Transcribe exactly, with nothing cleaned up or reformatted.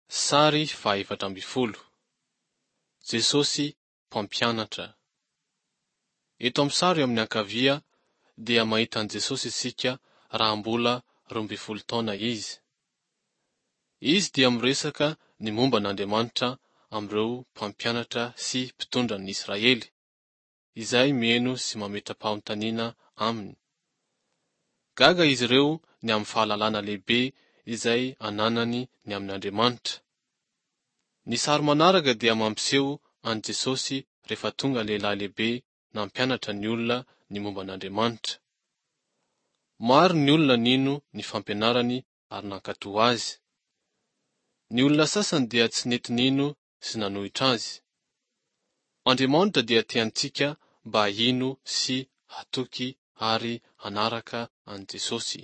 Sary fahaefatra ambin'ny folo. Jesosy mpampianatra. Eto amin'ny sary eo amin'ny ankavia dia mahita an'i Jesosy isika raha mbola roa ambin'ny folo taona izy. Izy dia miresaka ny momba an'Andriamanitra amin'ireo mpampianatra sy mpitondra ny Israely, izay mihaino sy mametra-panontaniana aminy. Gaga izy ireo ny amin'ny fahalalana lehibe izay ananany ny amin'Andriamanitra. Ny sary manaraka dia mampiseho an'i Jesosy rehefa tonga lehilahy lehibe nampianatra ny olona ny momba an'Andriamanitra. Maro ny olona nino ny fampianarany ary nankatò azy. Ny olona sasany dia tsy nety nino sy nanohitra azy. Andriamanitra dia tiantsika mba hino sy hatoky ary hanaraka an'i Jesosy.